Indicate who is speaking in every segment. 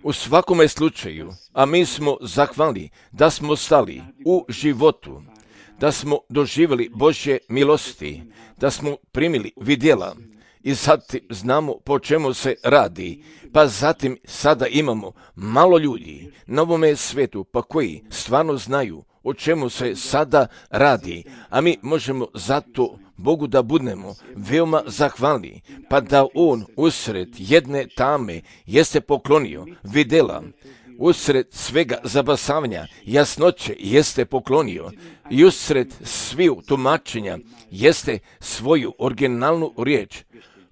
Speaker 1: U svakome slučaju, a mi smo zahvalni da smo stali u životu, da smo doživjeli Božje milosti, da smo primili vidjela i zatim znamo po čemu se radi, pa zatim sada imamo malo ljudi na ovome svijetu pa koji stvarno znaju o čemu se sada radi, a mi možemo zato Bogu da budemo veoma zahvalni, pa da On usred jedne tame jeste poklonio vidjela, usred svega zabasavanja jasnoće jeste poklonio i usred sviju tumačenja jeste svoju originalnu riječ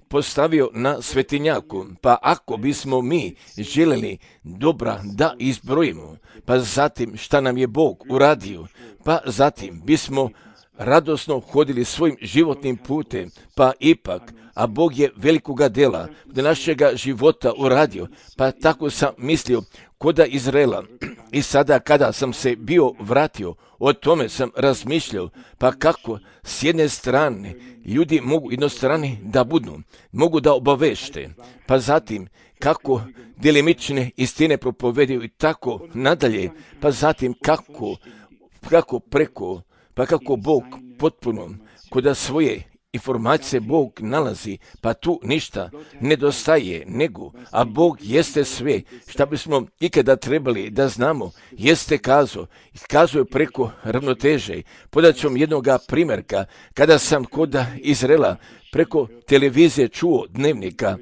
Speaker 1: postavio na svetinjaku, pa ako bismo mi željeli dobra da izbrojimo, pa zatim šta nam je Bog uradio, pa zatim bismo radosno hodili svojim životnim putem, pa ipak, a Bog je velikoga dela do našega života uradio, pa tako sam mislio koda Izraela. I sada kada sam se bio vratio, o tome sam razmišljao, pa kako s jedne strane ljudi mogu jednostrani da budu, mogu da obavešte, pa zatim kako delimične istine propovedaju i tako nadalje, pa zatim kako Bog potpuno koda svoje informacije Bog nalazi, pa tu ništa nedostaje nego, a Bog jeste sve šta bismo ikada trebali da znamo, jeste kazao je preko ravnoteže. Podat ću vam jednoga primjerka, kada sam koda Izraela preko televizije čuo dnevnika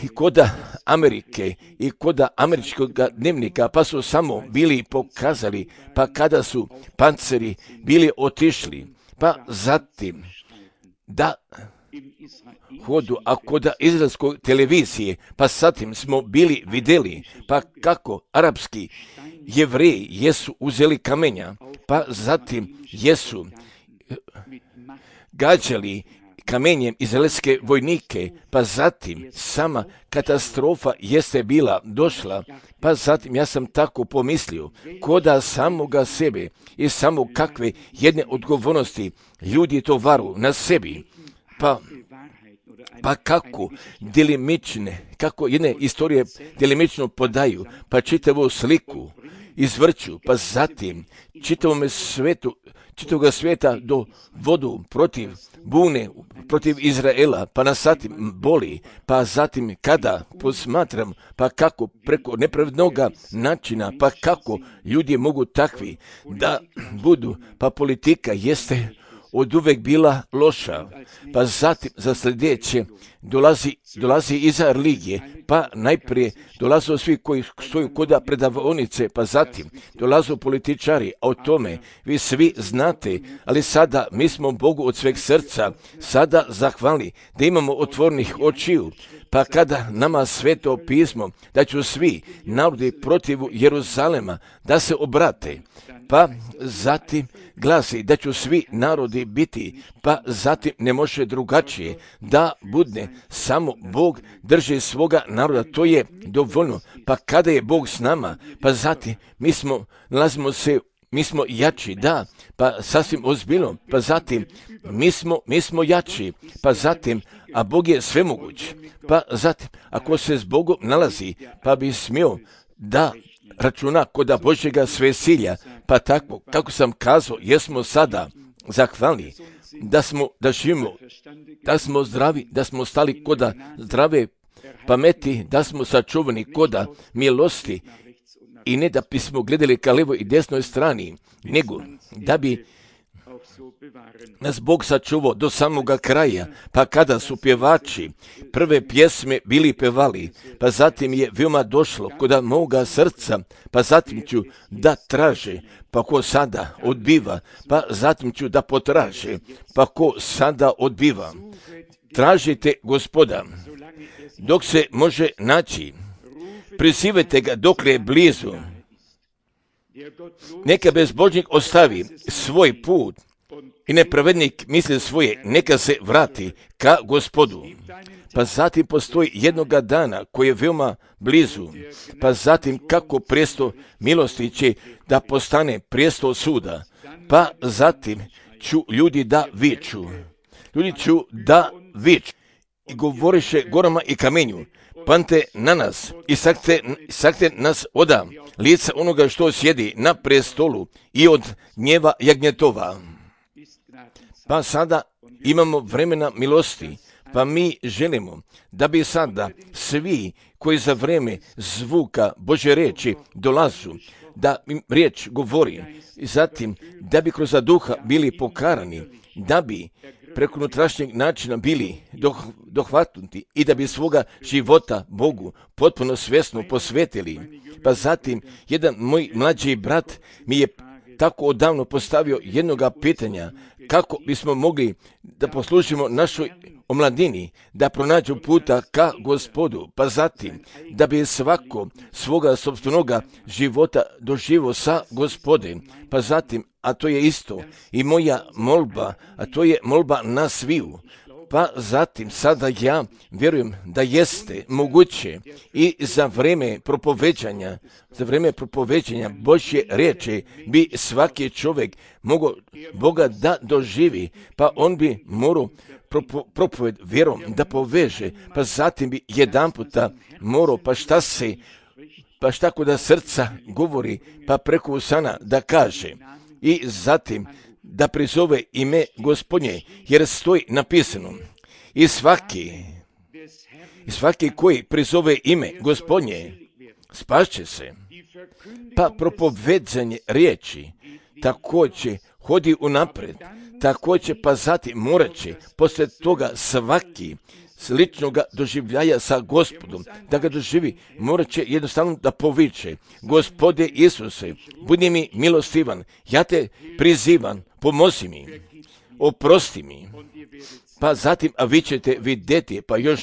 Speaker 1: i koda Amerike i koda američkog dnevnika, pa su samo bili pokazali, pa kada su panceri bili otišli, pa zatim da hodu, a koda izraelskoj televizije, pa zatim smo bili vidjeli, pa kako arapski Jevreji jesu uzeli kamenja, pa zatim jesu gađali kamenjem izraelske vojnike, pa zatim sama katastrofa jeste bila došla, pa zatim ja sam tako pomislio, koda samoga sebe i samo kakve jedne odgovornosti ljudi to varu na sebi, pa kako jedne istorije delimično podaju, pa čitavu sliku izvrću, pa zatim čitavoga svijeta do vodu protiv bune, protiv Izraela, pa nas zatim boli, pa zatim kada posmatram, pa kako preko nepravednoga načina, pa kako ljudi mogu takvi da budu, pa politika jeste od uvek bila loša, pa zatim za sljedeće dolazi iza religije, pa najprije dolaze svi koji stoju koda predavonice, pa zatim dolaze političari, a o tome vi svi znate, ali sada mi smo Bogu od sveg srca sada zahvalni da imamo otvornih očiju, pa kada nama sveto pismo da će svi narodi protiv Jeruzalema da se obrate, pa zatim glasi da će svi narodi biti, pa zatim ne može drugačije da budne, samo Bog drži svoga naroda, to je dovoljno, pa kada je Bog s nama, pa zatim mi smo jači, da, pa sasvim ozbiljno, pa zatim mi smo jači, pa zatim, a Bog je svemoguć, pa zatim, ako se s Bogom nalazi, pa bi smio da računa koda Božjega svesilja, pa tako, kako sam kazao, jesmo sada zahvalni da živimo, da smo zdravi, da smo stali koda zdrave pameti, da smo sačuvani koda milosti i ne da bismo gledali ka levoj i desnoj strani, nego da bi nas Bog sačuvao do samoga kraja, pa kada su pjevači prve pjesme bili pevali, pa zatim je veoma došlo koda moga srca, pa zatim ću da traže, pa ko sada odbiva, pa zatim ću da potraže, pa ko sada odbiva. Tražite Gospoda dok se može naći, prizivajte ga dok je blizu. Neka bezbožnik ostavi svoj put i nepravednik misli svoje, neka se vrati ka Gospodu. Pa zatim postoji jednoga dana koji je veoma blizu, pa zatim kako prijestol milosti će da postane prijestol suda, pa zatim ću ljudi da viču i govoriše gorama i kamenju, pante na nas i sakte nas oda lica onoga što sjedi na prestolu i od gnjeva jagnjetova. Pa sada imamo vremena milosti, pa mi želimo da bi sada svi koji za vrijeme zvuka Božje riječi dolazu, da im riječ govori, i zatim da bi kroz duha bili pokarani, da bi preko unutrašnjeg načina bili dohvatnuti i da bi svoga života Bogu potpuno svjesno posvetili. Pa zatim jedan moj mlađi brat mi je tako odavno postavio jednoga pitanja kako bismo mogli da poslužimo našoj omladini, da pronađu puta ka Gospodu, pa zatim da bi svako svoga sopstvenoga života doživio sa Gospodem, pa zatim, a to je isto i moja molba, a to je molba na sviju. Pa zatim sada ja vjerujem da jeste moguće i za vrijeme propoveđanja Božje riječi bi svaki čovjek mogao Boga da doživi, pa on bi morao propoved vjerom da poveže, pa zatim bi jedanputa morao, pa šta kod srca govori, pa preko usana da kaže i zatim da prizove ime Gospodnje, jer stoji napisano i svaki koji prizove ime Gospodnje spašće se. Pa propovedanje riječi također hodi unaprijed, također pa zatim morat će poslije toga svaki sličnoga doživljaja sa Gospodom, da ga doživi, morat će jednostavno da poviče: Gospode Isuse, budi mi milostivan, ja te prizivam, pomozi mi, oprosti mi. Pa zatim, a vi ćete vidjeti, pa još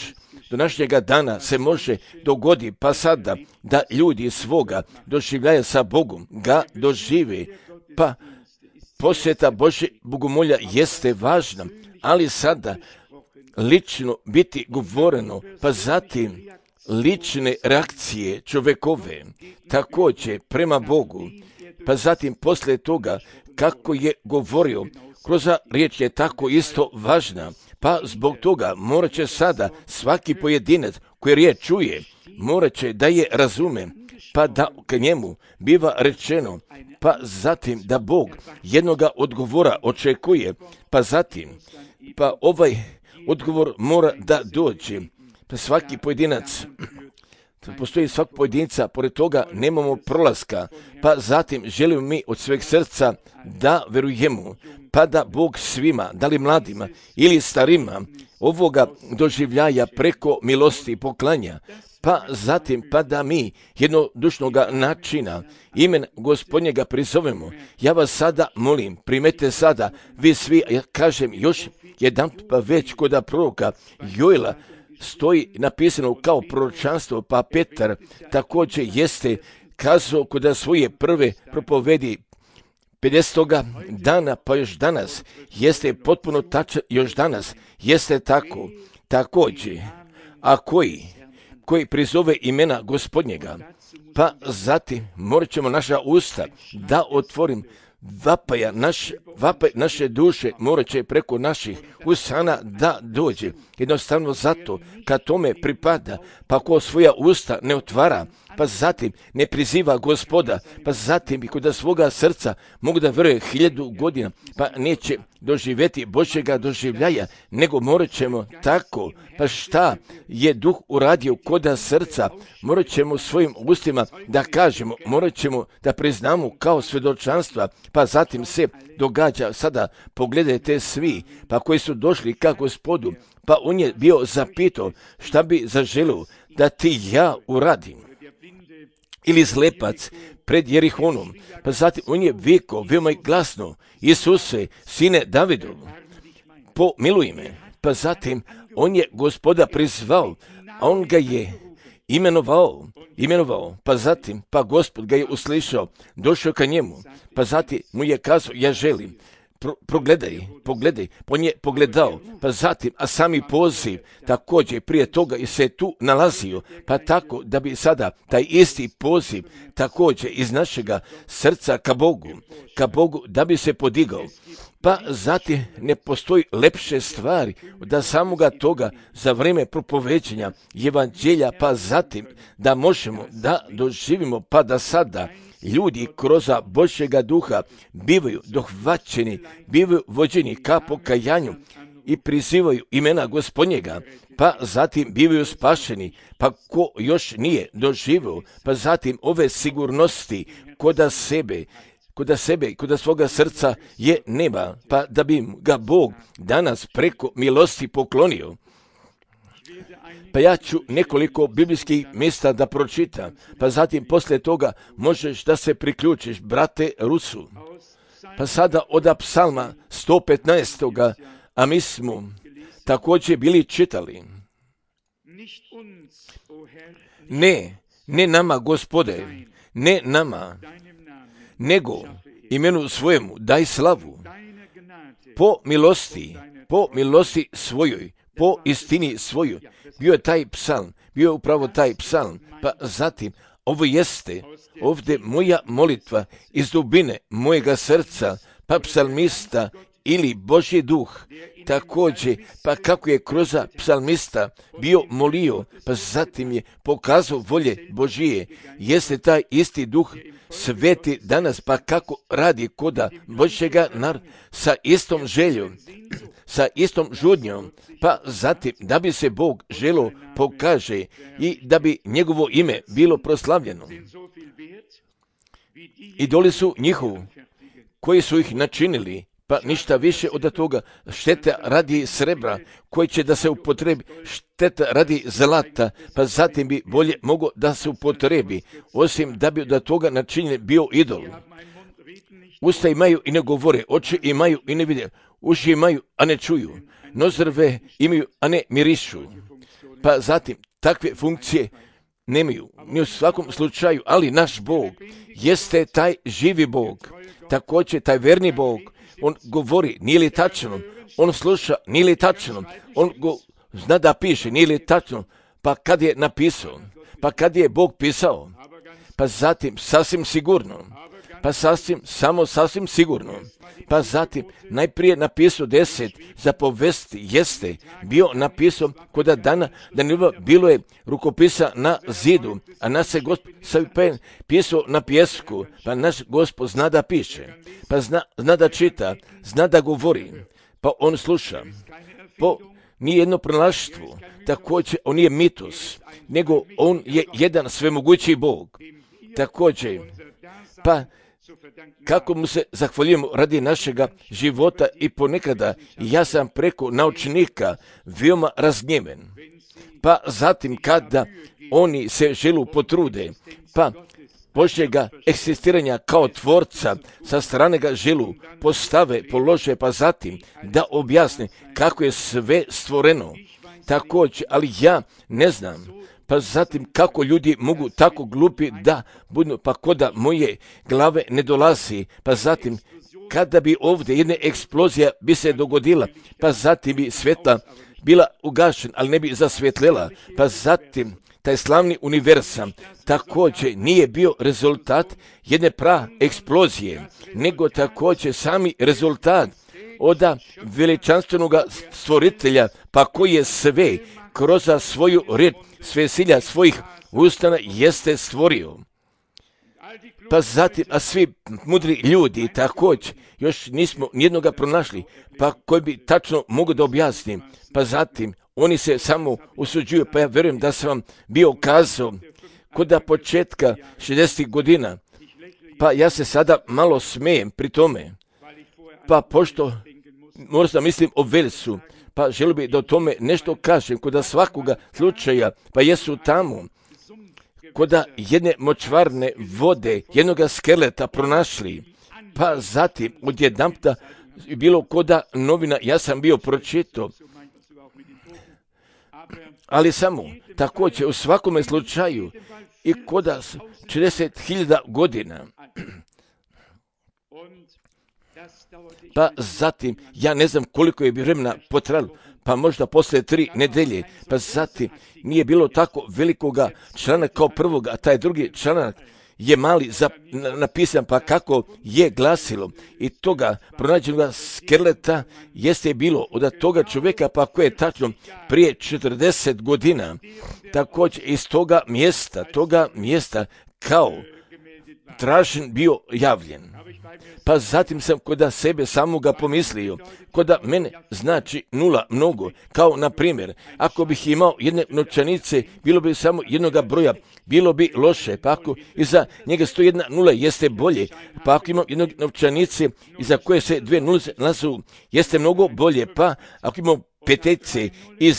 Speaker 1: do našega dana se može dogodi, pa sada da ljudi svoga doživljaja sa Bogom ga dožive, pa posjeta Božje bogomolja jeste važna, ali sada lično biti govoreno, pa zatim lične reakcije čovjekove, također prema Bogu, pa zatim poslije toga kako je govorio, kroz riječ je tako isto važna, pa zbog toga morat će sada svaki pojedinac koji riječ čuje, morat će da je razume, pa da k njemu biva rečeno, pa zatim da Bog jednoga odgovora očekuje, pa zatim, pa ovaj odgovor mora da dođe, pa svaki pojedinac, postoji svak pojedinca, pored toga nemamo prolaska, pa zatim želimo mi od sveg srca da verujemo, pa da Bog svima, da li mladima ili starima, ovoga doživljaja preko milosti poklanja, pa zatim pa da mi jednodušnoga načina imen Gospodnjega prizovemo. Ja vas sada molim, primete sada, vi svi, ja kažem još jedan pa već kod proroka Joela stoji napisano kao proročanstvo, pa Petar također jeste kazao kod svoje prve propovedi 50. dana, pa još danas jeste potpuno tačno, još danas jeste tako. Također, a koji prizove imena Gospodnjega, pa zatim morat ćemo naša usta da otvorim, vapaj naše duše morat će preko naših usana da dođe. Jednostavno zato, kad tome pripada, pa ko svoja usta ne otvara, pa zatim ne priziva Gospoda, pa zatim i kod svoga srca mogu da vjeruje 1000 godina, pa neće doživjeti Božjega doživljaja, nego morat ćemo tako, pa šta je Duh uradio kod srca, morat ćemo svojim ustima da kažemo, morat ćemo da priznamo kao svjedočanstva, pa zatim se događa sada, pogledajte svi, pa koji su došli ka Gospodu, pa on je bio zapitao šta bi zaželio da ti ja uradim. Ili slepac pred Jerihonom, pa zatim on je vikao veoma glasno: Isuse, sine Davidov, pomiluj me. Pa zatim on je Gospoda prizvao, a on ga je imenovao, pa zatim, pa Gospod ga je uslišao, došao ka njemu, pa zatim mu je kazao: ja želim, pogledaj, on je pogledao, pa zatim, a sami poziv također prije toga i se tu nalazio, pa tako da bi sada taj isti poziv također iz našega srca ka Bogu da bi se podigao. Pa zatim ne postoji lepše stvari da samoga toga za vrijeme propoveđenja evanđelja, pa zatim da možemo da doživimo, pa da sada ljudi kroz Božjega duha bivaju dohvaćeni, bivaju vođeni ka pokajanju i prizivaju imena Gospodnjega, pa zatim bivaju spašeni, pa ko još nije doživio, pa zatim ove sigurnosti koda sebe, koda svoga srca je nema, pa da bi ga Bog danas preko milosti poklonio. Pa ja ću nekoliko biblijskih mjesta da pročitam, pa zatim poslije toga možeš da se priključiš, brate Rusu. Pa sada od psalma 115. A mi smo također bili čitali. Ne nama, Gospode, ne nama, nego imenu svojemu daj slavu, po milosti svojoj, po istini svojoj. Bio je taj psalm, bio je upravo taj psalm, pa zatim ovo jeste ovdje moja molitva iz dubine mojega srca, pa psalmista ili Božji duh također, pa kako je kroz psalmista bio molio, pa zatim je pokazao volje Božije, jeste taj isti duh sveti danas, pa kako radi koda Božjega naroda sa istom željom, sa istom žudnjom, pa zatim da bi se Bog želo pokaže i da bi njegovo ime bilo proslavljeno. Idoli su njihovu, koji su ih načinili, pa ništa više od toga, šteta radi srebra, koji će da se upotrebi, šteta radi zlata, pa zatim bi bolje moglo da se upotrebi, osim da bi od toga načinjen bio idol. Usta imaju i ne govore, oči imaju i ne vide, uši imaju, a ne čuju, nozdrve imaju, a ne mirišu. Pa zatim takve funkcije nemaju, ni u svakom slučaju, ali naš Bog jeste taj živi Bog, također taj verni Bog. On govori, nije li tačno, on sluša, nije li tačno, on zna da piše, nije li tačno, pa kad je napisao, pa kad je Bog pisao, pa zatim sasvim sigurno, pa sasvim sigurno, pa zatim najprije napisao 10 zapovesti, jeste bio napisao koda dana Danilova, bilo je rukopisa na zidu, a naš se Gospod pisao na pjesku, pa naš Gospod zna da piše, pa zna da čita, zna da govori, pa on sluša. Nije jedno pronalaštvo, također on nije mitos, nego on je jedan svemogući Bog. Također, pa kako mu se zahvaljujemo radi našega života i ponekada ja sam preko naučnika veoma razgnjeven. Pa zatim kada oni se želu potrude, pa Božjega eksistiranja kao tvorca sa strane ga želu postave, polože, pa zatim da objasne kako je sve stvoreno. Također, ali ja ne znam, pa zatim kako ljudi mogu tako glupi da budu, pa koda moje glave ne dolazi, pa zatim kada bi ovdje jedna eksplozija bi se dogodila, pa zatim bi svjetla bila ugašena, ali ne bi zasvjetlela, pa zatim taj slavni univerzum također nije bio rezultat jedne eksplozije, nego također sami rezultat od veličanstvenog stvoritelja, pa koji je sve kroz svoju riječ, sve silja svojih ustana jeste stvorio. Pa zatim, a svi mudri ljudi također, još nismo nijednoga pronašli, pa koji bi tačno mogu da objasnim, pa zatim oni se samo usuđuju, pa ja vjerujem da sam vam bio kazao kod početka 60. godina, pa ja se sada malo smijem pri tome, pa pošto možda mislim o Velsu, pa želio bi da o tome nešto kažem, kod svakoga slučaja, pa jesu tamo, kod jedne močvarne vode, jednoga skeleta pronašli, pa zatim odjedanputa bilo koda novina, ja sam bio pročitao, ali samo također u svakome slučaju i koda 40.000 godina. Pa zatim, ja ne znam koliko je vremena potrajalo, pa možda poslije 3 nedelje, pa zatim nije bilo tako velikoga članaka kao prvoga, a taj drugi članak je mali napisan, pa kako je glasilo i toga pronađenog skeleta jeste bilo od toga čovjeka, pa koje je tačno prije 40 godina, također iz toga mjesta kao tražen bio javljen. Pa zatim sam kod sebe samoga pomislio, kod mene znači 0 mnogo, kao na primjer, ako bih imao jedne novčanice, bilo bi samo jednoga broja, bilo bi loše, pa ako iza njega 101 nula jeste bolje, pa ako imam jednog novčanice iza koje se 2 nule nalazu, jeste mnogo bolje, pa ako imamo petece i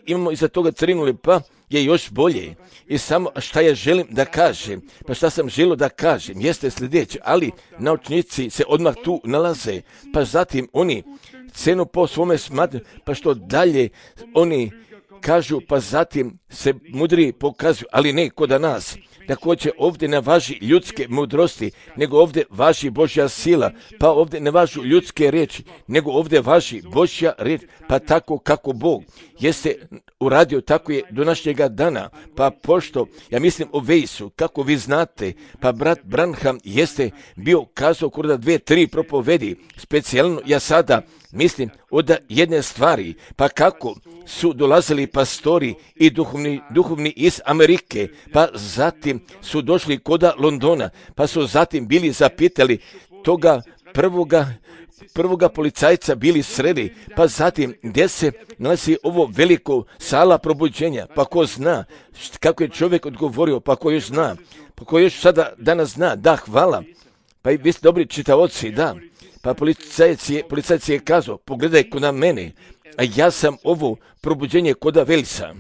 Speaker 1: imamo iza toga 3 nule, pa je još bolje. I samo šta ja želim da kažem, pa šta sam želio da kažem, jeste sljedeće, ali naučnici se odmah tu nalaze, pa zatim oni cenu po svome smatru, pa što dalje oni kažu, pa zatim se mudri pokazuju, ali ne kod nas. Također ovdje ne važi ljudske mudrosti, nego ovdje važi Božja sila, pa ovdje ne važu ljudske riječi, nego ovdje važi Božja riječ, pa tako kako Bog jeste uradio, tako je do našega dana. Pa pošto, ja mislim o Vejsu, kako vi znate, pa brat Branham jeste bio kazao kod 2-3 propovedi, specijalno ja sada mislim od jedne stvari, pa kako su dolazili pastori i duhovni iz Amerike, pa zatim su došli koda Londona, pa su zatim bili zapitali toga prvoga policajca bili sredi, pa zatim gdje se nalazi ovo veliko sala probuđenja, pa ko zna kako je čovjek odgovorio, pa ko još zna, pa ko još sada danas zna, da hvala, pa i vi ste dobri čitaoci, da. Pa policajac je kazao, pogledaj kod mene, a ja sam ovo probuđenje koda Velsa.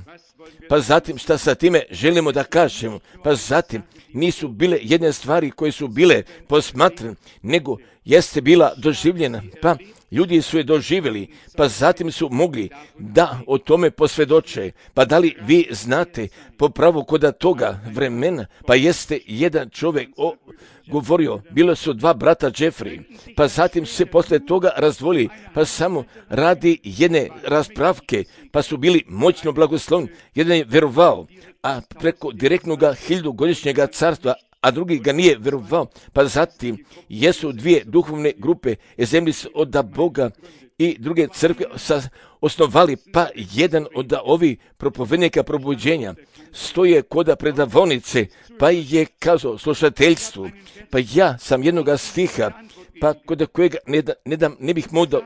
Speaker 1: Pa zatim šta sa time želimo da kažemo, pa zatim nisu bile jedne stvari koje su bile posmatrane, nego jeste bila doživljena, pa ljudi su je doživjeli, pa zatim su mogli da o tome posvjedoče. Pa da li vi znate popravo koda toga vremena, pa jeste jedan čovjek govorio, bilo su 2 brata Jeffrey, pa zatim se poslije toga razdvojili, pa samo radi jedne raspravke, pa su bili moćno blagoslovni, jedan je verovao, a preko direktnog 1000-godišnjega carstva, a drugi ga nije vjerovao, pa zatim jesu 2 duhovne grupe zemlji od Boga i druge crkve osnovali, pa jedan od ovih propovednika probuđenja stoje koda predavonice, pa je kazao slušateljstvu, pa ja sam jednoga stiha, pa kod kojega ne bih mogao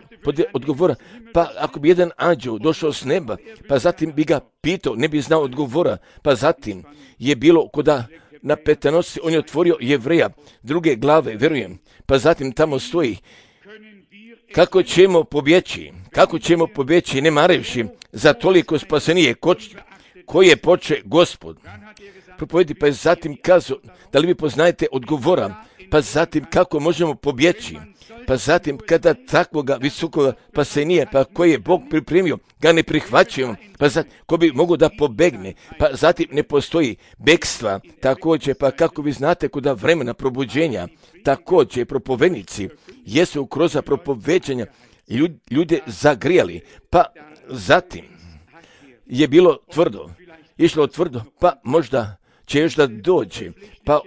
Speaker 1: odgovora, pa ako bi jedan anđeo došao s neba, pa zatim bi ga pitao, ne bi znao odgovora, pa zatim je bilo koda na Petanosci, on je otvorio Jevreja, 2. glave, vjerujem, pa zatim tamo stoji, kako ćemo pobjeći, ne marevši za toliko spasenije, koji je poče Gospod. Propovedi, pa je zatim kazao, da li vi poznajete odgovora, pa zatim kako možemo pobjeći, pa zatim kada takvoga visokoga spasenija, pa koji je Bog pripremio, ga ne prihvaćujemo, pa zatim ko bi mogao da pobegne, pa zatim ne postoji bekstva, također, pa kako vi znate kod vremena probuđenja, također propovednici jesu kroz propoveđanja ljude zagrijali, pa zatim je bilo išlo tvrdo, pa možda će još da dođe, pa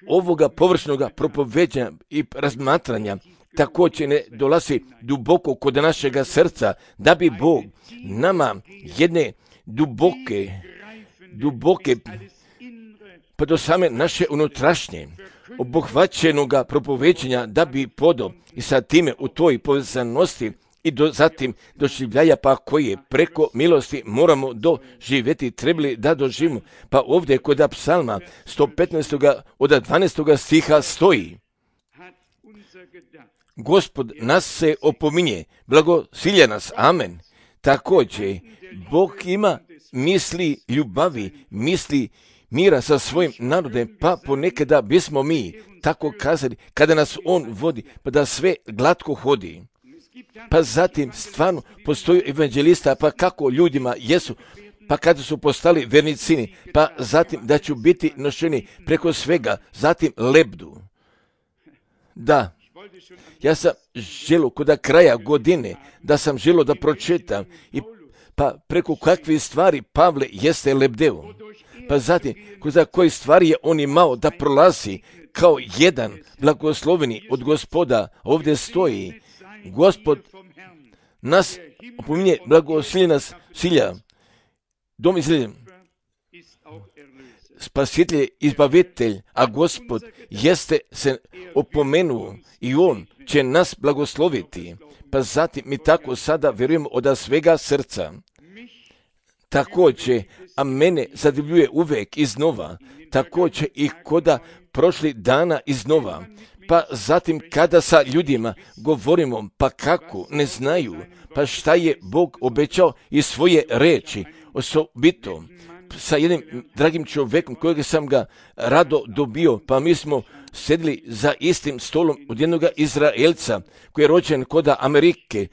Speaker 1: ovoga površnoga propoveđanja i razmatranja također ne dolazi duboko kod našega srca, da bi Bog nama jedne duboke, pa do same naše unutrašnje obuhvaćenoga propoveđenja, da bi podo i sa time u toj povezanosti i zatim doživljaja, pa koje preko milosti moramo doživjeti, trebali da doživimo. Pa ovdje kod psalma 115. od 12. stiha stoji, Gospod nas se opominje, blagosilja nas, amen. Također, Bog ima misli ljubavi, misli mira sa svojim narodem, pa ponekada bismo mi tako kazali, kada nas on vodi, pa da sve glatko hodi. Pa zatim stvarno postoji evanđelista, pa kako ljudima jesu, pa kada su postali vernicini, pa zatim da ću biti nošeni preko svega, zatim lebdu. Da, Ja sam želio kod kraja godine, da sam želio da pročitam, i pa preko kakvih stvari Pavle jeste lebdeo. Pa zatim, za koje stvari je on imao da prolazi kao jedan blagosloveni od Gospoda. Ovdje stoji, Gospod nas opominje, blagosili nas silja, dom izgleda, spasitelj, izbavitelj, a Gospod jeste se opomenuo i on će nas blagosloviti. Pa zatim mi tako sada vjerujemo od svega srca. Također, a mene zadivljuje uvijek iznova, također i koda prošli dana iznova. Pa zatim kada sa ljudima govorimo, pa kako ne znaju, pa šta je Bog obećao iz svoje reči, osobito sa jednim dragim čovjekom kojeg sam ga rado dobio, pa mi smo sedli za istim stolom od jednog Izraelca koji je rođen kod Amerike,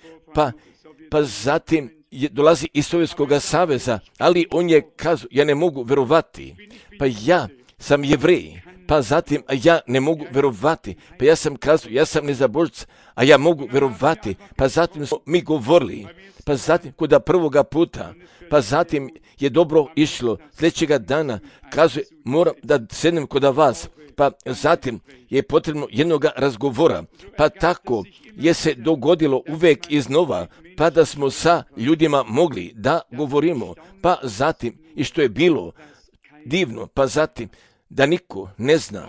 Speaker 1: pa zatim dolazi iz Sovjetskog saveza, ali on je kazao, ja ne mogu verovati, pa ja sam Jevrej, pa zatim, a ja ne mogu verovati, pa ja sam kazao, ja sam nezabožac, a ja mogu verovati, pa zatim smo mi govorili, pa zatim kod prvoga puta, pa zatim je dobro išlo, sljedećega dana, kazuje, moram da sednem kod vas, pa zatim je potrebno jednoga razgovora, pa tako je se dogodilo uvijek iznova, pa da smo sa ljudima mogli da govorimo, pa zatim i što je bilo divno, pa zatim da niko ne zna,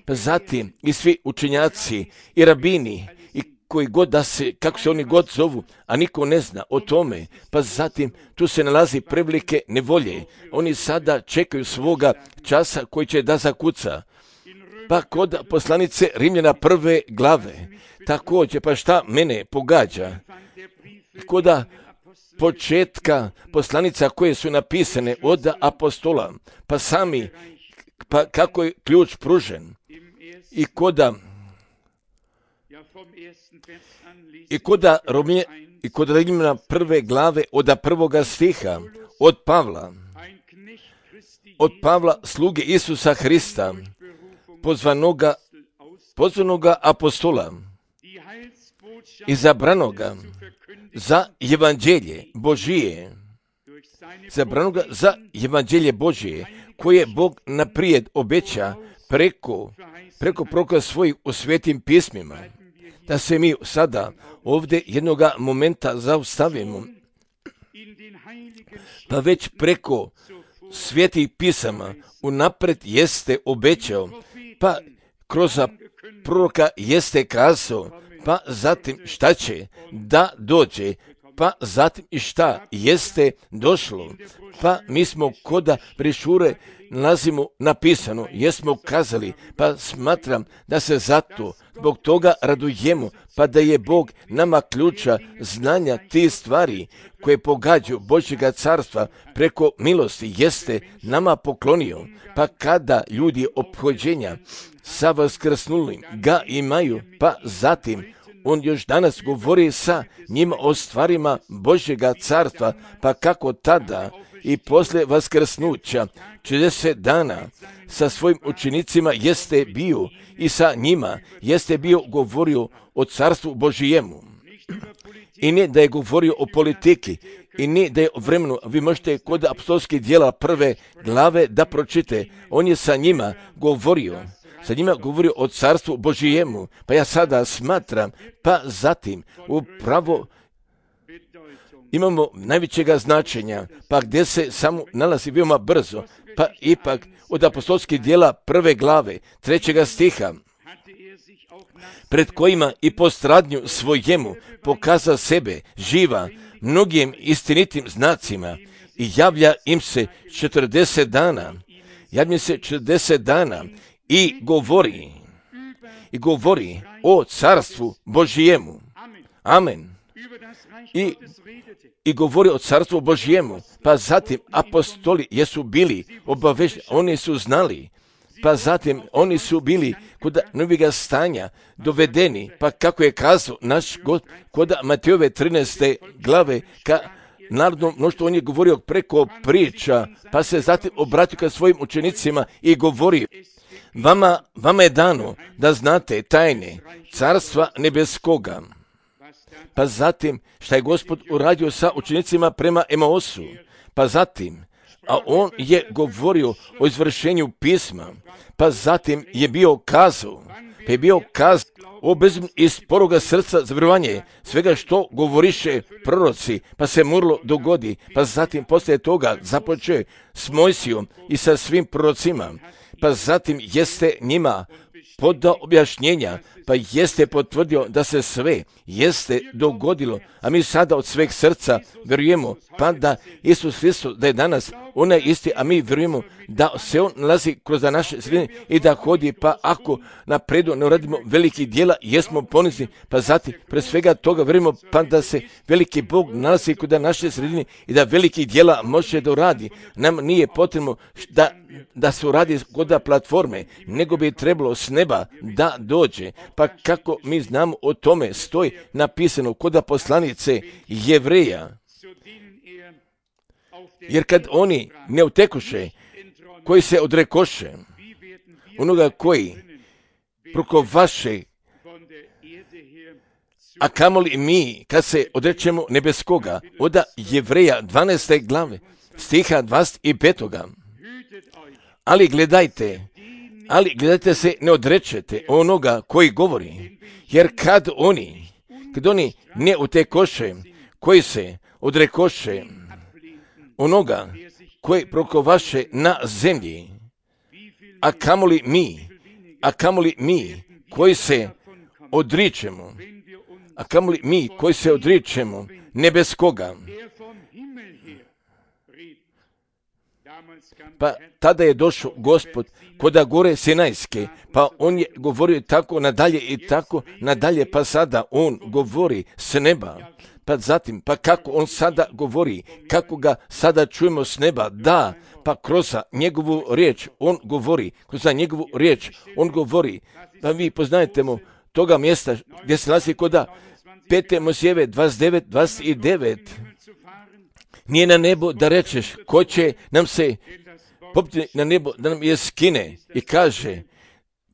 Speaker 1: pa zatim i svi učenjaci i rabini i koji god da se, kako se oni god zovu, a niko ne zna o tome, pa zatim tu se nalazi prevelike nevolje, oni sada čekaju svoga časa koji će da zakuca. Pa kod poslanice Rimljana 1. glave, također, pa šta mene pogađa, kod početka poslanica koje su napisane od apostola, pa sami, pa kako je ključ pružen, i kod Rimljana 1. glave od 1. stiha, od Pavla, sluge Isusa Hrista, pozvanoga apostola, izabranoga za evanđelje Božije, koje Bog naprijed obeća preko proroka svojih u svetim pismima. Da se mi sada ovdje jednoga momenta zaustavimo, pa već preko svetih pisama unaprijed jeste obećao, pa kroz proroka jeste kazao, pa zatim šta će da dođe, pa zatim i šta jeste došlo. Pa mi smo koda brišure nalazimo napisano, jesmo kazali, pa smatram da se zato zbog toga radujemo, pa da je Bog nama ključa znanja tih stvari koje pogađaju Božjega carstva preko milosti jeste nama poklonio, pa kada ljudi ophođenja sa vaskrsnulim ga imaju, pa zatim on još danas govori sa njima o stvarima Božjega carstva, pa kako tada i poslije vaskrsnuća 40 dana sa svojim učenicima jeste bio i sa njima jeste bio govorio o carstvu Božijemu. I ne da je govorio o politiki, i ne da je o vremenu. Vi možete kod apostolskih djela 1. glave da pročite. On je sa njima govorio o carstvu Božijemu. Pa ja sada smatram, pa zatim upravo imamo najvećega značenja, pa gdje se samo nalazi veoma brzo, pa ipak od apostolskih djela 1. glave 3. stiha, pred kojima i po stradnju svojemu pokaza sebe živa mnogim istinitim znacima i javlja im se 40 dana i govori o carstvu Božijemu. Amen. I govori o carstvu Božijemu, pa zatim apostoli jesu bili obavešteni, oni su znali, pa zatim oni su bili kod novega stanja dovedeni, pa kako je kazao naš God kod Matejove 13. glave, ka narodnom mnoštvu on je govorio preko priča, pa se zatim obratio ka svojim učenicima i govorio Vama je dano da znate tajne carstva nebeskoga. Pa zatim, šta je Gospod uradio sa učenicima prema Emaosu? Pa zatim, a on je govorio o izvršenju pisma. Pa zatim je bio kazao o bezum iz sporoga srca za vjerovanje svega što govoriše proroci, pa se moralo dogodi. Pa zatim poslije toga započeo s Mojsijom i sa svim prorocima. Pa zatim jeste njima podao objašnjenja, pa jeste potvrdio da se sve jeste dogodilo, a mi sada od sveg srca vjerujemo pa da Isus Hristos da je danas onaj isti, a mi vjerujemo da se on nalazi kroz naše sredine i da hodi, pa ako napredu ne uradimo veliki djela, jesmo ponizni, pa zatim pre svega toga vjerujemo pa da se veliki Bog nalazi kod naše sredine i da veliki djela može da uradi. Nam nije potrebno da se uradi kod platforme, nego bi trebalo s neba da dođe. Pa kako mi znamo o tome stoji napisano kod poslanice Jevreja. Jer kad oni ne utekoše, koji se odrekoše, onoga koji preko vaše, a kamoli mi, kad se odrećemo nebeskoga, od Jevreja 12. glave, stiha 25. Ali gledajte se, ne odrećete onoga koji govori, jer kad oni ne utekoše, koji se odrekoše, onoga koji prokovaše na zemlji, a kamoli mi koji se odričemo, nebeskoga. Pa tada je došao Gospod koda gore Sinajske, pa on je govorio tako nadalje i tako nadalje, pa sada on govori s neba. Pa zatim, pa kako on sada govori, kako ga sada čujemo s neba, da, pa kroz njegovu riječ on govori, pa vi poznajete mu toga mjesta gdje se nalazi kod 5. Mojsijeve 29. Nije na nebo da rečeš ko će nam se popiti na nebo da nam je skine i kaže,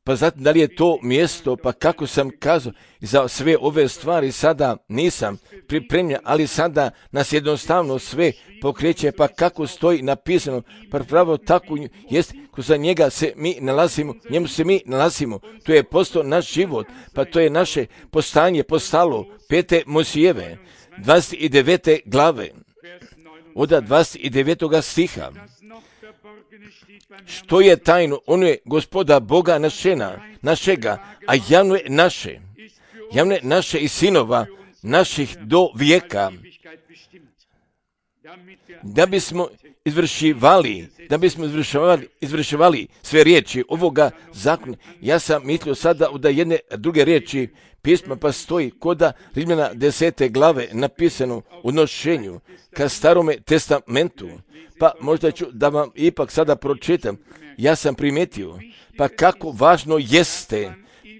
Speaker 1: pa zatim da li je to mjesto, pa kako sam kazao, za sve ove stvari sada nisam pripremljen, ali sada nas jednostavno sve pokreće, pa kako stoji napisano, pa pravo tako jest, ko za njega se mi nalazimo, njemu se mi nalazimo, to je postao naš život, pa to je naše postalo 5. Mojsijeve 29. glave, od 29. stiha. Što je tajno, ono je Gospoda Boga našega, a javno je naše i sinova naših do vijeka, da bismo izvršivali sve riječi ovoga zakona. Ja sam mislio sada da jedne druge riječi pisma, pa stoji koda Rimljana 10. glave napisano u nošenju ka Starome testamentu. Pa možda ću da vam ipak sada pročitam. Ja sam primijetio, pa kako važno jeste,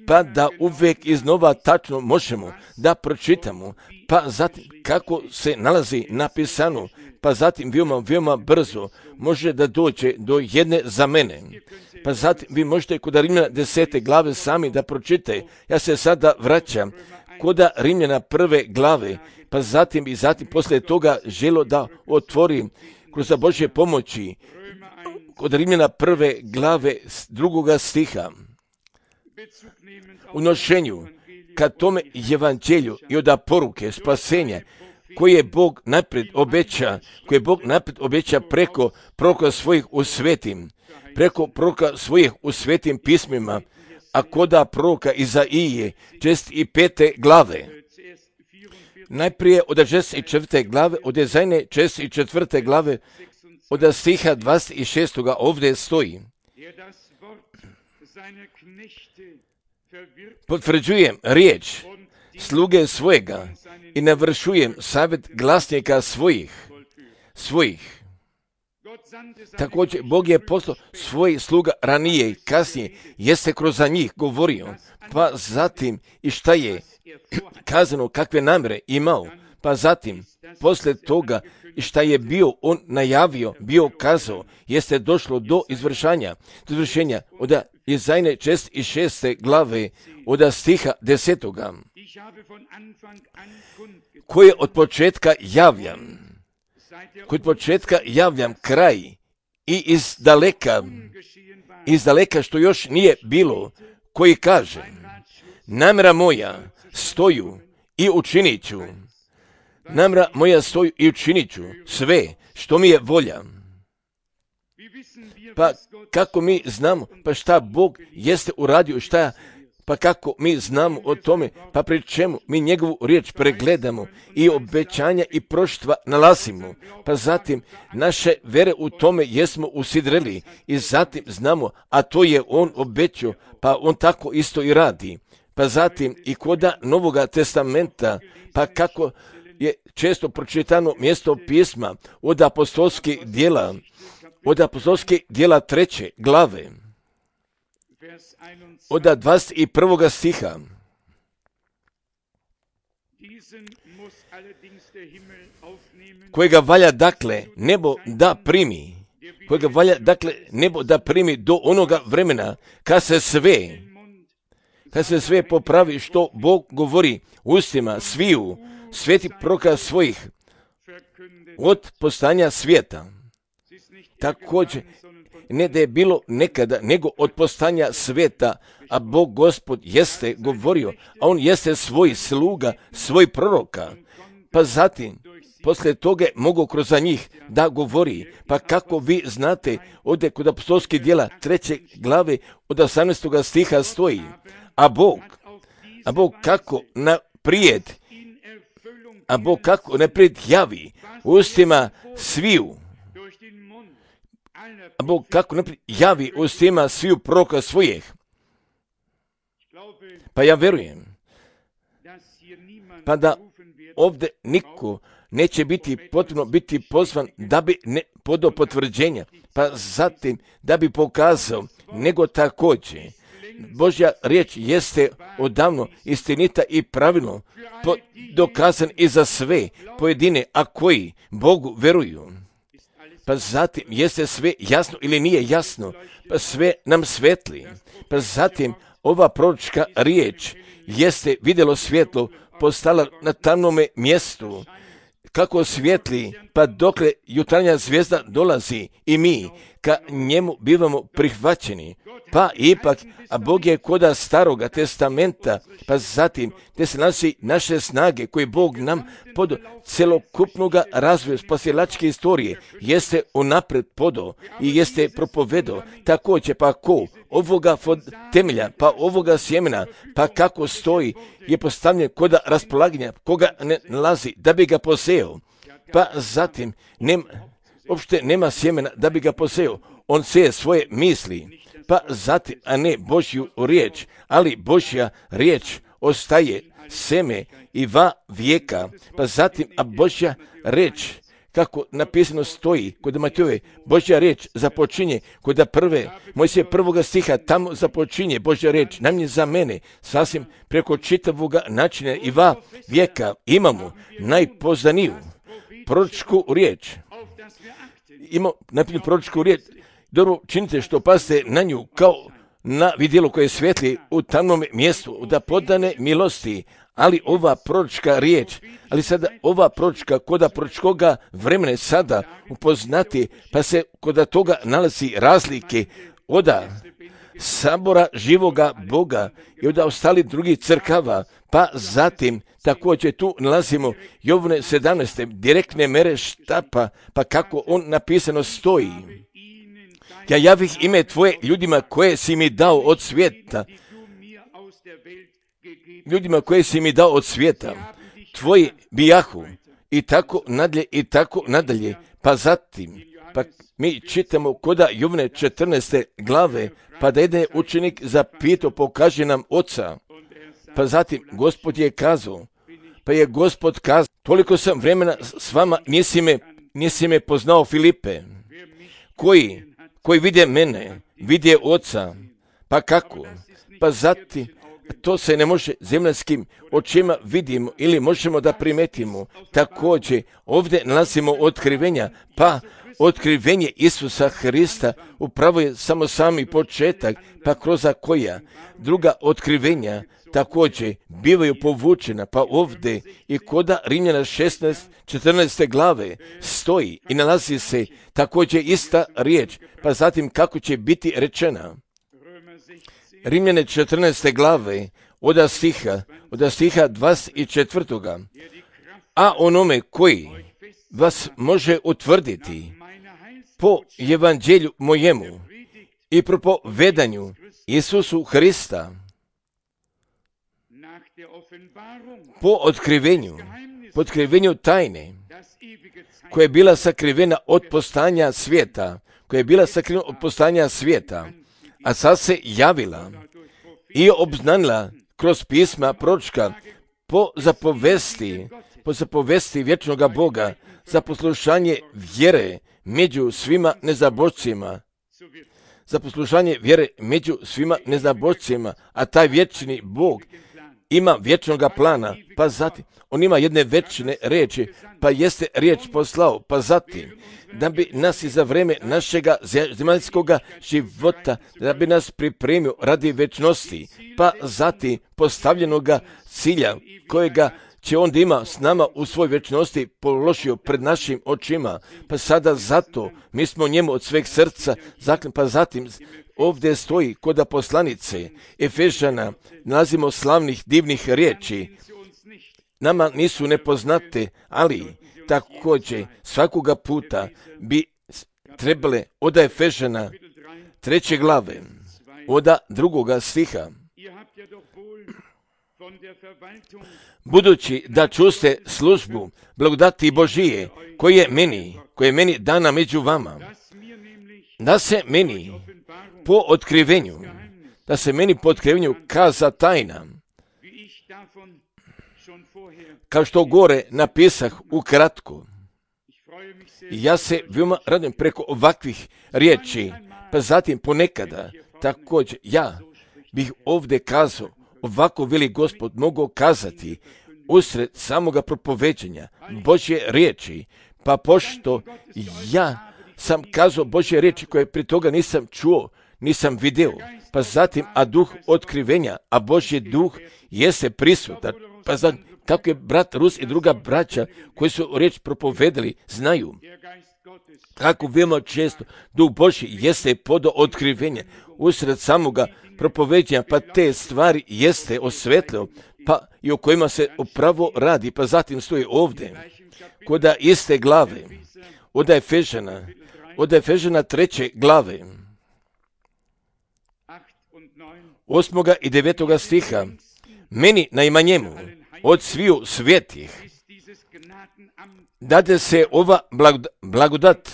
Speaker 1: pa da uvijek iznova tačno možemo da pročitamo, pa zatim kako se nalazi napisano, pa zatim veoma brzo može da dođe do jedne za mene. Pa zatim vi možete kod Rimljana 10. glave sami da pročitate. Ja se sada vraćam kod Rimljana 1. glave, pa zatim poslije toga želo da otvorim kroz Božje pomoći kod Rimljana 1. glave 2. stiha. U nošenju ka tome evanđelju i od poruke spasenja koje je Bog napred obeća preko proroka svojih u svetim pismima, a koda proroka Izaije 65. glave. Najprije od 64. glave, od Izaije 64. glave, od stiha 26. ovdje stoji. Potvrđujem riječ sluge svojega i navršujem savjet glasnika svojih. Također, Bog je poslao svojih sluga ranije i kasnije, jeste kroz njih govorio, pa zatim i šta je kazano, kakve namjere imao, Pa zatim, poslije toga šta je bio on najavio, bio kazao, jeste došlo do izvršenja od Izajne 6. glave, od stiha 10. koje od početka javljam kraj i iz daleka što još nije bilo, koji kaže, namjera moja stoju i učinit ću. Namjera moja stoju i učinit ću sve što mi je volja. Pa kako mi znamo, pa šta Bog jeste uradio, pa kako mi znamo o tome, pa pri čemu mi njegovu riječ pregledamo i obećanja i proštva nalazimo, pa zatim naše vere u tome jesmo usidreli i zatim znamo, a to je on obećao, pa on tako isto i radi. Pa zatim i koda Novoga testamenta, pa kako je često pročitano mjesto pisma od apostolskih dijela 3. glave, od 21. stiha. Kojega valja dakle nebo da primi do onoga vremena kad se sve popravi što Bog govori ustima sviju sveti proroka svojih od postanja svijeta. Također, ne da je bilo nekada, nego od postanja svijeta, a Bog Gospod jeste govorio, a on jeste svoj sluga, svoj proroka. Pa zatim, poslije toga mogu kroz njih da govori. Pa kako vi znate, ovdje kod apostolskih djela 3. glave od 18. stiha stoji, a Bog kako naprijed javi ustima sviju, a Bog kako naprijed javi ustima sviju proroka svojih. Pa ja vjerujem, pa da ovdje niko neće biti potrebno biti pozvan da bi ne podao potvrđenja, pa zatim da bi pokazao, nego također Božja riječ jeste odavno istinita i pravilno dokazan i za sve pojedine, a koji Bogu vjeruju. Pa zatim jeste sve jasno ili nije jasno, pa sve nam svetli. Pa zatim ova proročka riječ jeste vidjelo svjetlo, postala na tamnome mjestu, kako svijetli, pa dokle jutarnja zvijezda dolazi i mi ka njemu bivamo prihvaćeni. Pa ipak, a Bog je koda Staroga testamenta, pa zatim gdje se nalazi naše snage koje Bog nam pod celokupnoga razvoja spasilačke istorije jeste unapred podao i jeste propovedao. Također pa ko ovoga temelja, pa ovoga sjemena, pa kako stoji je postavljen koda raspolaganja, koga ne nalazi da bi ga poseo. Pa zatim uopšte nema sjemena da bi ga poseo. On seje svoje misli, pa zatim, a ne Božju riječ, ali Božja riječ ostaje seme i va vijeka. Pa zatim, a Božja riječ, kako napisano stoji kod Matejove, Božja riječ započinje kod Mojsije 1. stiha, tamo započinje Božja riječ, najmanje za mene, sasvim preko čitavoga načina i va vijeka imamo najpoznaniju proročku riječ. Imamo najprije proročku riječ. Dobro, činite što pazite na nju kao na vidjelo koje svijetli u tamnom mjestu, da podane milosti, ali ova proročka riječ, ali sada ova proročka koda proročkoga vremena sada upoznati, pa se koda toga nalazi razlike od sabora živoga Boga i od ostali drugih crkava, pa zatim također tu nalazimo Jovne 17. direktne mere štapa, pa kako on napisano stoji. Ja javih ime tvoje ljudima koje si mi dao od svijeta. Ljudima koje si mi dao od svijeta. Tvoji bijahu. I tako nadalje. Pa zatim, pa mi čitamo koda Jovne 14. glave, pa da jedan učenik zapitao, pokaže nam oca. Pa zatim, Gospod je kazao, toliko sam vremena s vama, nisi me poznao Filipe, koji vide mene, vide oca. Pa kako? Pa zatim, to se ne može zemaljskim očima vidimo ili možemo da primetimo. Također ovdje nalazimo otkrivenja, pa otkrivenje Isusa Hrista upravo je samo sami početak, pa kroz koja druga otkrivenja također bivaju povučena, pa ovdje i koda Rimljana 14. glave stoji i nalazi se također ista riječ, pa zatim kako će biti rečena. Rimljane 14. glave od stiha 24. A onome koji vas može utvrditi po evanđelju mojemu i propovedanju Isusu Hrista, po otkrivenju tajne, koja je bila sakrivena od postojanja svijeta, a sad se javila i obznanila kroz pisma proročka po zapovesti vječnoga Boga za poslušanje vjere među svima nezabožcima, a taj vječni Bog ima vječnoga plana, pa zatim on ima jedne vječne riječi, pa jeste riječ poslao, pa zatim da bi nas i za vrijeme našega zemaljskoga života, da bi nas pripremio radi vječnosti, pa zatim postavljenoga cilja kojega će onda ima s nama u svoj vječnosti položio pred našim očima, pa sada zato mi smo njemu od sveg srca zakljeni, pa zatim ovdje stoji koda poslanice Efežana, nalazimo slavnih divnih riječi, nama nisu nepoznate, ali također svakoga puta bi trebale od Efežana 3. glave, od 2. stiha. Budući da čuste službu blagodati Božije koje je meni dana među vama, da se meni po otkrivenju kaza tajna, kao što gore napisah ukratko. Ja se veoma radujem preko ovakvih riječi, pa zatim ponekada također ja bih ovdje kazao, ovako veli Gospod mogao kazati usred samoga propoveđenja Božje riječi, pa pošto ja sam kazao Božje riječi koje prije toga nisam čuo, nisam video, pa zatim, a duh otkrivenja, a Božji duh jeste prisutan, pa zatim, kako je brat Rus i druga braća koji su riječ propovedali, znaju kako veoma često duh Božji jeste pod otkrivenja usred samoga propoveđenja, pa te stvari jeste osvetlio, pa i o kojima se upravo radi, pa zatim stoji ovdje, koda iste glave, od Efežana 3. glave, 8. i 9. stiha, meni najmanjemu od sviju svetih dade se ova blagodat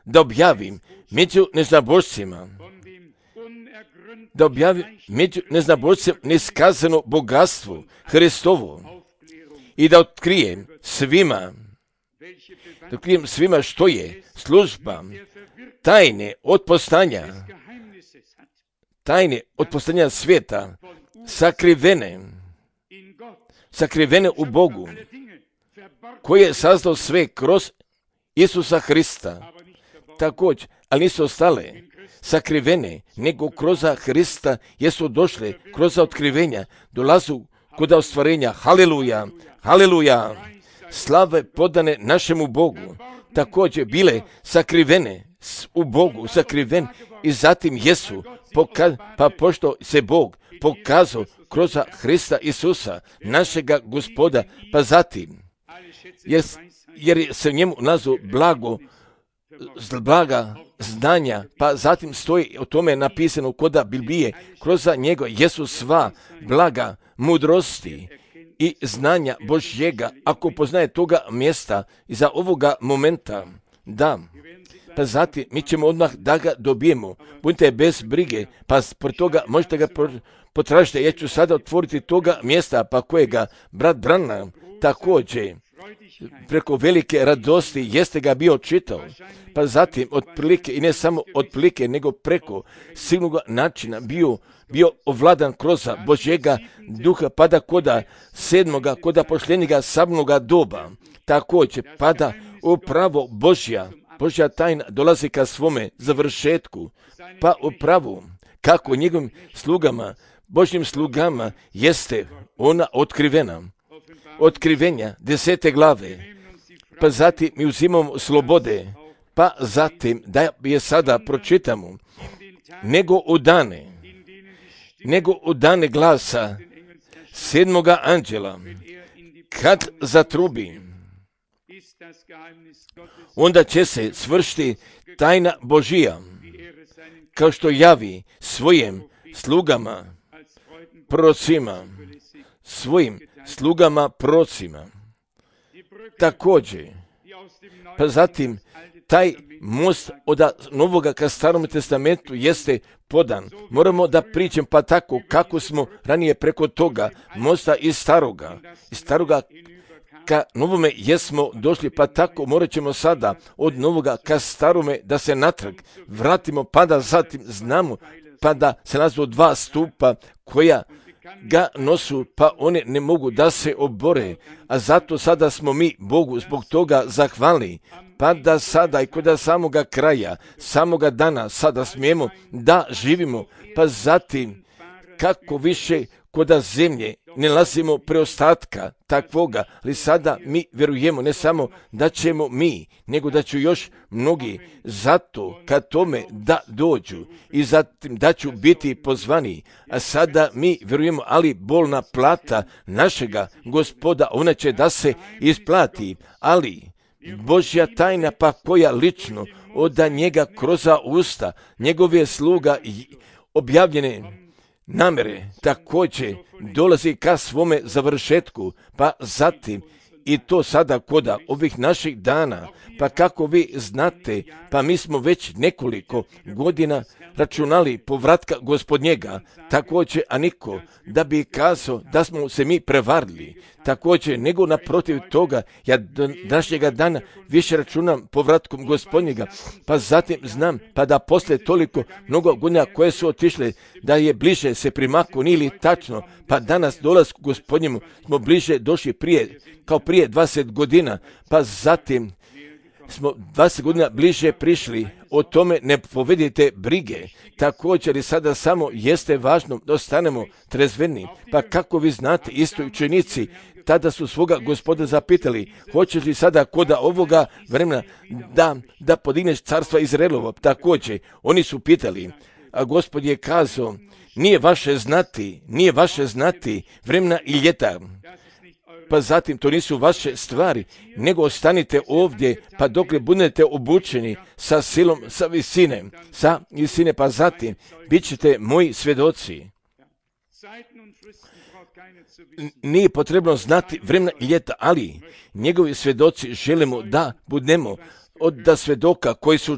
Speaker 1: da objavim među neznabožcima, neskazano bogatstvo Hristovo i da otkrijem svima što je služba tajne od postanja svijeta, sakrivene u Bogu, koji je saznao sve kroz Isusa Hrista. Također, ali nisu ostale sakrivene, nego kroz Hrista jesu došle kroz otkrivenja, dolazu kod ostvarenja. Haleluja, haleluja, slave podane našemu Bogu. Također bile sakrivene u Bogu, sakrivene i zatim jesu, pa pošto se Bog pokazao kroz Hrista Isusa, našega Gospoda, pa zatim, jer se njemu nazvao blaga znanja, pa zatim stoji o tome napisano koda Biblije, kroz njega jesu sva blaga mudrosti i znanja Božjega, ako poznaje toga mjesta i za ovoga momenta, da, pa zatim mi ćemo odmah da ga dobijemo, budite bez brige, pa por toga možete ga potražiti, ja ću sada otvoriti toga mjesta, pa kojega brat Branham također preko velike radosti jeste ga bio čitao, pa zatim otprilike, i ne samo otprilike, nego preko silnog načina bio ovladan kroz Božjega duha, pada koda sedmoga, koda pošljenjega samnoga doba, također pada upravo Božja tajna dolazi ka svome završetku, pa upravo kako njegovim slugama, Božjim slugama jeste ona otkrivenja 10. glave, pa zatim mi uzimamo slobode, pa zatim da je sada pročitamo, nego u dane glasa sedmoga anđela, kad zatrubi, onda će se svršiti tajna Božija, kao što javi svojim slugama prorocima. Također, pa zatim taj most od Novoga ka Starom testamentu jeste podan. Moramo da pričam pa tako kako smo ranije preko toga mosta iz staroga ka novome jesmo došli, pa tako morat ćemo sada od novoga ka starome da se natrag vratimo, pa da zatim znamo, pa da se nazvu dva stupa koja ga nosu, pa one ne mogu da se obore, a zato sada smo mi Bogu zbog toga zahvalni, pa da sada i kod samoga kraja, samoga dana sada smijemo da živimo, pa zatim kako više kod zemlje ne nalazimo preostatka takvoga, ali sada mi vjerujemo ne samo da ćemo mi, nego da će još mnogi zato kad tome da dođu i zatim da ću biti pozvani, a sada mi vjerujemo, ali bolna plata našega Gospoda, ona će da se isplati, ali Božja tajna pa koja lično od njega kroz usta njegove sluga objavljene namere također dolazi ka svome završetku, pa zatim i to sada koda ovih naših dana, pa kako vi znate, pa mi smo već nekoliko godina računali povratka Gospodnjega, također, a niko da bi kazao da smo se mi prevarili, također, nego naprotiv toga, ja do današnjega dana više računam povratkom Gospodnjega, pa zatim znam, pa da poslije toliko mnogo godina koje su otišle, da je bliže se primaklo, nije li tačno, pa danas dolasku Gospodnjemu smo bliže došli kao prije 20 godina, pa zatim smo 20 godina bliže prišli, o tome ne povedite brige. Također i sada samo jeste važno da ostanemo trezveni, pa kako vi znate, isto učenici tada su svoga Gospoda zapitali, hoćeš li sada koda ovoga vremena da podigneš carstva Izraelovo? Također, oni su pitali, a Gospod je kazao, nije vaše znati vremena i ljeta, pa zatim to nisu vaše stvari, nego ostanite ovdje, pa dokle budete obučeni sa silom, sa visine, pa zatim bit ćete moji svjedoci. Nije potrebno znati vremena i ljeta, ali njegovi svjedoci želimo da budemo od svjedoka koji su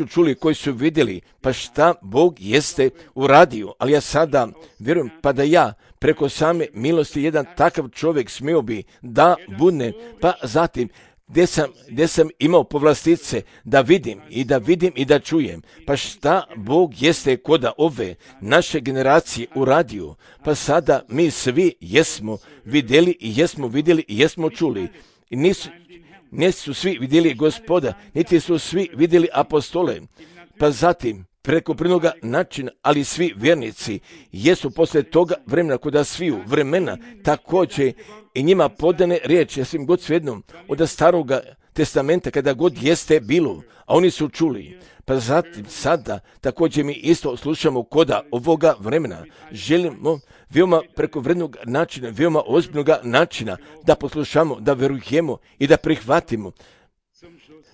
Speaker 1: čuli, koji su vidjeli, pa šta Bog jeste uradio. Ali ja sada vjerujem, pa da ja preko same milosti jedan takav čovjek smio bi da budne, pa zatim gdje sam imao povlastice da vidim i da čujem, pa šta Bog jeste koda ove naše generacije uradio, pa sada mi svi jesmo vidjeli i jesmo čuli. I nisu svi vidjeli Gospoda, niti su svi vidjeli apostole, pa zatim preko prinoga načina, ali svi vjernici jesu poslije toga vremena koda sviju vremena također i njima podane riječ, ja svim god svejednom od staroga testamenta kada god jeste bilo, a oni su čuli. Pa zatim sada također mi isto slušamo koda ovoga vremena. Želimo veoma preko vrednog načina, veoma ozbiljnog načina da poslušamo, da verujemo i da prihvatimo.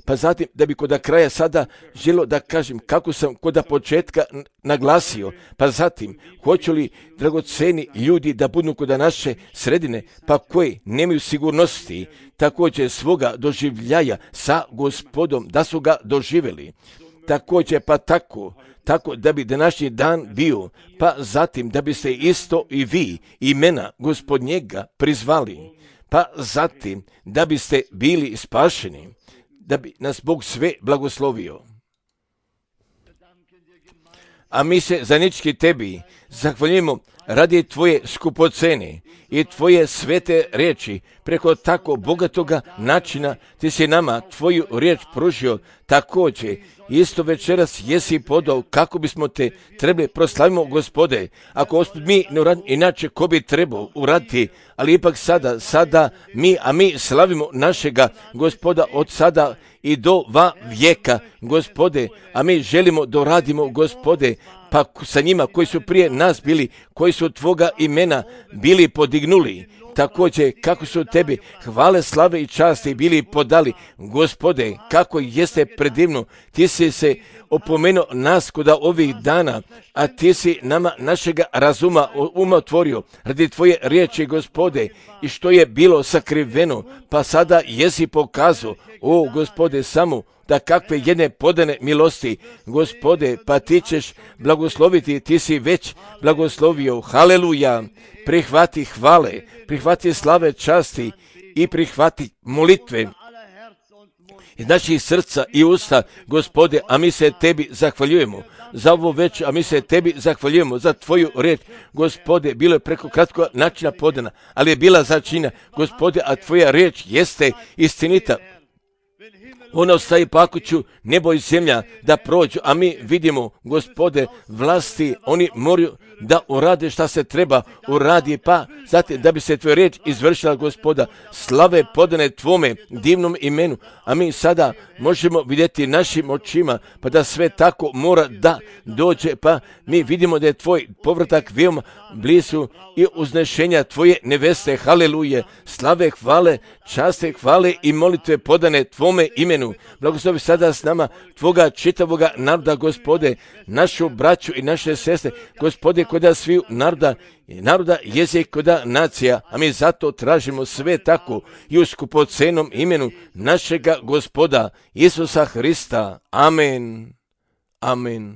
Speaker 1: Pa zatim, da bi koda kraja sada želio da kažem kako sam koda početka naglasio, pa zatim, hoću li dragoceni ljudi da budu koda naše sredine, pa koji nemaju sigurnosti, također svoga doživljaja sa Gospodom, da su ga doživjeli. Također, pa tako da bi današnji dan bio, pa zatim da biste isto i vi imena Gospodnjega prizvali. pa zatim da biste bili spašeni, da bi nas Bog sve blagoslovio. A mi se zajednički tebi zahvaljujemo radi tvoje skupocene i tvoje svete riječi. Preko tako bogatoga načina ti si nama tvoju riječ pružio. Također isto večeras jesi podao kako bismo te trebali proslavimo, Gospode. Ako Gospod mi ne uradimo, inače ko bi trebao uraditi, ali ipak sada mi slavimo našega Gospoda od sada i do vijeka, Gospode, a mi želimo da radimo, Gospode, pa sa njima koji su prije nas bili, koji su tvoga imena bili podignuli, također kako su tebi hvale, slave i časti bili podali, Gospode, kako jeste predivno, ti si se opomenuo nas kod ovih dana, a ti si nama našega razuma otvorio radi tvoje riječi, Gospode, i što je bilo sakriveno, pa sada jesi pokazao, o Gospode, samo da kakve jedne podane milosti, Gospode, pa ti ćeš blagosloviti, ti si već blagoslovio, haleluja, prihvati hvale, prihvati slave, časti i prihvati molitve iz naših srca i usta, Gospode, a mi se tebi zahvaljujemo za ovo već, a mi se tebi zahvaljujemo za tvoju riječ, Gospode, bilo je preko kratkog načina podana, ali je bila začinja, Gospode, a tvoja riječ jeste istinita. Ona ostaje pa ako ću nebo i zemlja da prođu, a mi vidimo, Gospode, vlasti, oni moraju da urade šta se treba uradi, pa zatim da bi se tvoja riječ izvršila, Gospoda, slave podane tvome divnom imenu, a mi sada možemo vidjeti našim očima, pa da sve tako mora da dođe, pa mi vidimo da je tvoj povratak veoma blizu i uznešenja tvoje neveste, haleluje, slave, hvale, časte, hvale i molitve podane tvome imenu. Blagoslovi sada s nama tvoga čitavoga naroda, Gospode, našu braću i naše sestre, Gospode, koda sviju naroda, jezik, koda nacija, a mi zato tražimo sve tako i u skupocenom imenu našega Gospoda Isusa Hrista. Amen. Amen.